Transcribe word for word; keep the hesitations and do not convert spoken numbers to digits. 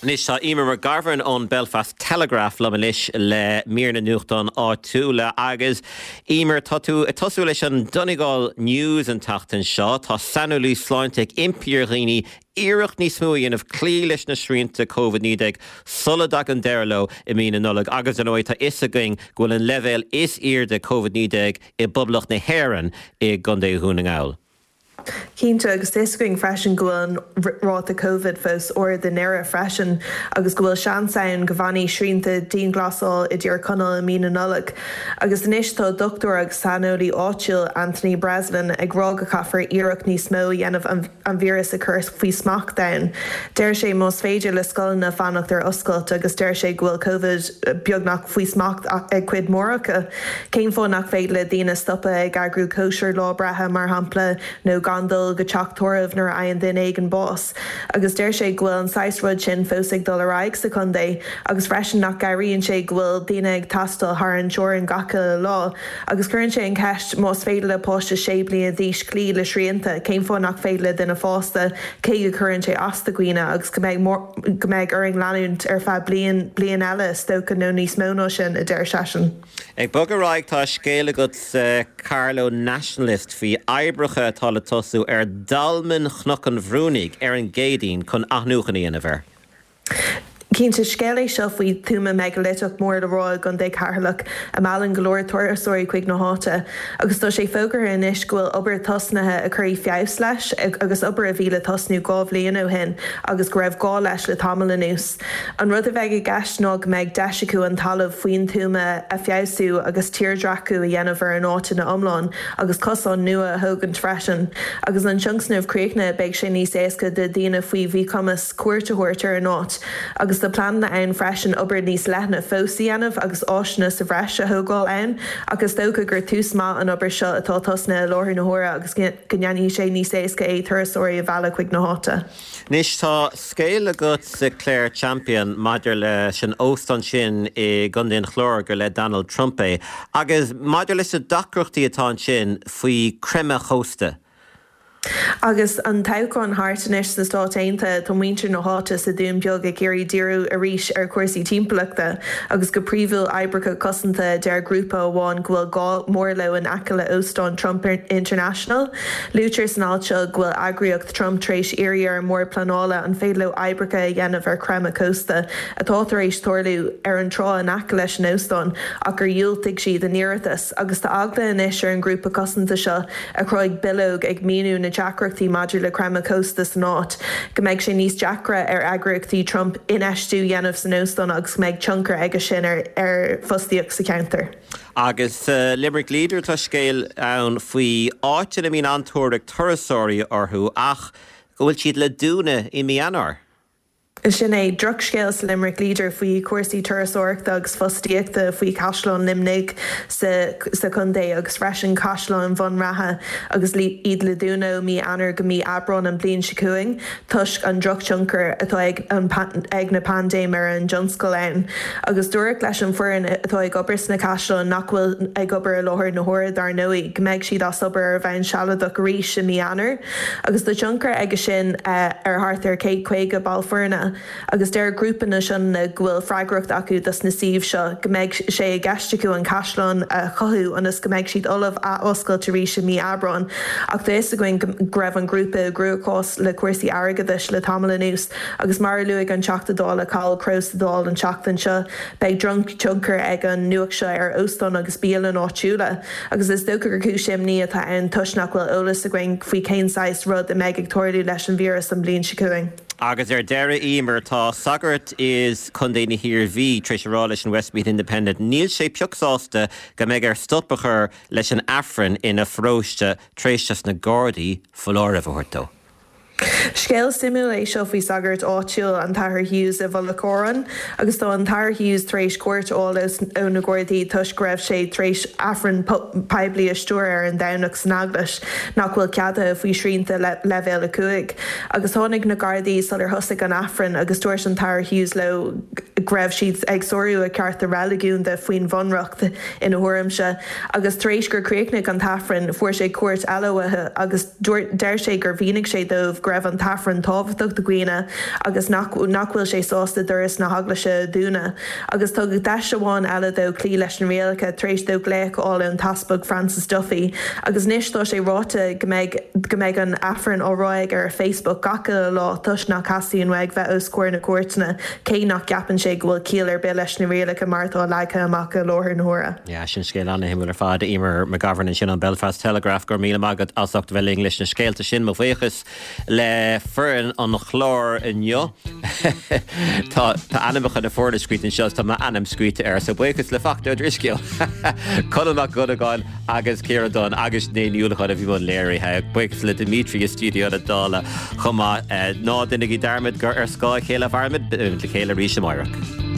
Anois tá Eimear McGovern ón Belfast Telegraph liom anois le mír na nuachtán áitiúla agus Eimear tá tú ag tosú leis an Donegal News an tseachtain seo tá saineolaí sláinte ag impí ar dhaoine iarracht níos mó a dhéanamh cloí leis na srianta COVID naoi déag sula dtagann deireadh leo i mí na Nollag agus ar ndóigh tá a fhios againn go bhfuil an leibhéal is airde COVID naoi déag i bPoblacht na hÉireann i gContae Dhún na nGall. Cinnte agus tá a fhios againn freisin go bhfuil an ráta COVID fós ard i nDoire freisin agus go bhfuil seans ann go bhfanfaidh srianta dianghlasála i dTír Chonaill i mí na Nollag. Agus anois tá dochtúir agus saineolaí áitiúil Anthony Breslin ag rá go caithfear iarracht níos mó a dhéanamh an, an víreas a chur faoi smacht ann. Deir sé más féidir le scoileanna fanacht ar oscailt agus deir sé go bhfuil COVID beagnach faoi smacht ag cuid mhór acu. Cén fáth nach féidir le daoine stopadh ag eagrú cóisir lá breithe mar shampla nó gan dul go teach tórraimh nuair a fhaigheann duine éigin bás. agus deir sé go bhfuil an saghas rud sin fós ag dul ar aghaidh sa chontae agus freisin nach gcabhraíonn sé go bhfuil daoine ag taisteal thar an teorainn gach lá, agus cuireann sé an cheist más féidir le páiste sé bliana d'aois cloí le srianta, cén fáth nach féidir le duine fásta cé go gcuireann sé as do dhaoine agus go mbeidh go mbeidh orainn leanúint ar feadh bliain bliain eile is dócha nó níos mó ná sin a deir seisean. Ag bogadh ar aghaidh tá scéal agat sa Carlow Nationalist faoi oibreacha atá le tosú ar Dolmen Chnoc an Bhrúnaigh ar an gCéadaoin chun athnuachan a dhéanamh air. Cinnte scéal é seo faoi tuama meigiliteach mór le rá i gContae Cheatharlach a meallann go leor turasóirí chuig na háite, agus tá sé fógartha anois go bhfuil obair tosnaithe a chuirfidh feabhas leis agus obair a bhí le tosnú dhá bhliain ó shin agus go raibh gá leis le tamall anuas. An rud a bheidh i gceist ná go mbeidh deis acu an talamh faoin tuama a fheabhsú agus tírdhreachú a dhéanamh ar an áit ina iomlán agus cosán nua a thógaint freisin. Agus an tionscnamh críochnaithe beidh sé níos éasca do dhaoine faoi mhíchumas cuairt a thabhairt ar an áit, agus tá pleananna ann freisin obair níos leithne fós a dhéanamh agus áiseanna sa bhreis a thógáil ann, agus dócha gur tús maith an obair seo atá tosnaithe i láthair na huaire agus go ndéanfaidh sé níos éasca é turasóirí a mhealladh chuig na háite. Anois tá scéal agat sa Clare Champion maidir leis an óstán sin i gContae an Chláir gur le Donald Trump é, agus maidir leis na deacrachtaí atá ansin faoi chreimeadh cósta. Agus an toghchán thart anois sna Stáit Aontaithe tá muintir na háite sa Dún Beag ag iarraidh díriú arís ar chúrsaí timpeallachta agus go príomhúil oibreacha cosanta deir grúpa amháin go bhfuil gá mór leo in aice le óstán Trump International. Luaitear san alt seo go bhfuil eagraíocht Trump tar éis iarraidh ar an mBord Pleanála an féidir leo oibreacha a dhéanamh ar chreimeadh cósta atá tar éis tarlú ar an trá in aice leis an óstán ach gur dhiúltaigh siad a n-iarratas agus tá eagla anois ar an grúpa cosanta seo a chruthaigh bileog ag míniú na deacrachtaí maidir le creimeadh cósta san áit, go mbeidh sé níos deacra ar eagraíochtaí Trump infheistiú a dhéanamh san óstán agus go mbeidh tionchar aige sin ar ar fostaíocht sa cheantar. Agus uh, Limerick Leader tá scéal ann faoi áit ina mbíonn an-tóir ag turasóirí orthu ach go bhfuil siad le dúnadh i mí Eanáir. Sin é drochscéal sa Limerick Leader faoi chúrsaí turasóireachta agus fostaíochta faoi Chaisleán Luimnigh sa, sa chontae agus freisin Caisleán Bhun Raithe agus iad le dúnadh ó mí Eanáir go mí Aibreán an bhliain seo chugainn toisc an drochthionchar atá ag, an, ag na paindéim ar an tionscal ann. Agus dúradh leis an bhfoireann atá ag obair sna caisleáin nach bhfuil ag obair i láthair na huaire dar ndóigh, go mbeidh siad as obair ar bhonn sealadach arís i mí Eanáir, agus tá tionchar aige sin uh, ar thart ar céad caoga ball foirne. agus deir grúpa na sin go bhfuil freagracht acu dos na suímh seo go mbeidh sé i gceist acu an caisleán a chothú ionas go mbeidh siad ullamh athoscailt arís i mí Aibreán, ach tá a fhios againn go raibh an grúpa i gcruachás le cúrsaí airgeadais le tamall anuas agus mar a luaigh an Teachta Dála Cathal Crowe sa Dáil an tseachtain seo beidh drochthionchar ag an nuacht seo ar óstáin agus bialanna áitiúla, agus is dócha gur cúis imní atá ann toisc nach bhfuil eolas againn faoi cén saghas rud a mbeidh ag tarlú leis an víreas an bhliain seo chugainn. Agus ar deireadh Eimear tá sagart is Contae na hIarmhí tar éis a rá leis an Westmeath Independent, níl sé pioc sásta go mbeidh air stop a chur leis an Aifreann ina pharóiste tar éis dos na Gardaí foláireamh a thabhairt dó. Scéal suimiúil é seo faoi sagart áitiúil an tAthair Hughes i Mhullach Árann, agus tá an tAthair Hughes tar éis cuairt a fháil ó na Gardaí toisc go raibh sé tar éis Aifreann poiblí a stiúradh ar an Domhnach san eaglais nach bhfuil ceadaithe faoi shrianta le leibhéal a cúig. Agus tháinig na Gardaí sular thosaigh an Aifreann agus dúirt an tAthair Hughes leo go raibh siad ag sárú a chearta reiligiúnda faoin bhunreacht ina thuairimse, agus tar éis gur chríochnaigh an tAifreann fuair sé cuairt eile uathu agus deir sé gur mhínigh sé dóibh go raibh an an tAifreann tábhachtach do dhaoine agus nach nach bhfuil sé sásta doras na heaglaise a dhúnadh. Agus tugadh deis amháin eile dó cloí leis na rialacha tar éis dó glaoch a fháil ón tEaspag Francis Duffy agus anois tá sé ráite go mbeidh go mbeidh an Aifreann á rá aige ar Facebook gach lá toisc nach dteastaíonn uaidh bheith os comhair na cúirteanna cé nach gceapann sé go bhfuil ciall ar bith leis na rialacha mar atá leagtha amach i láthair na huaire. Ja sin scéal an-shuimiúil ar fad Eimear McGovern ansin ón Belfast Telegraph go raibh míle maith agat as ucht bheith linn leis na scéalta sin mo bhuíochas le foireann an chláir inniu. Tá ainmneacha na foirne scríte anseo tá m'ainm scríte air so buíochas le Fachtna Ó Drisceoil. Conall Mac Dhonnagáin agus Ciara Dunne agus né Niúlachan a bhí an léirithe buíochas le Dimitri i stiúideo na Dála chomh maith ná déanaigí dearmad gur ar scáth a chéile a mhairimid le chéile arís amárach.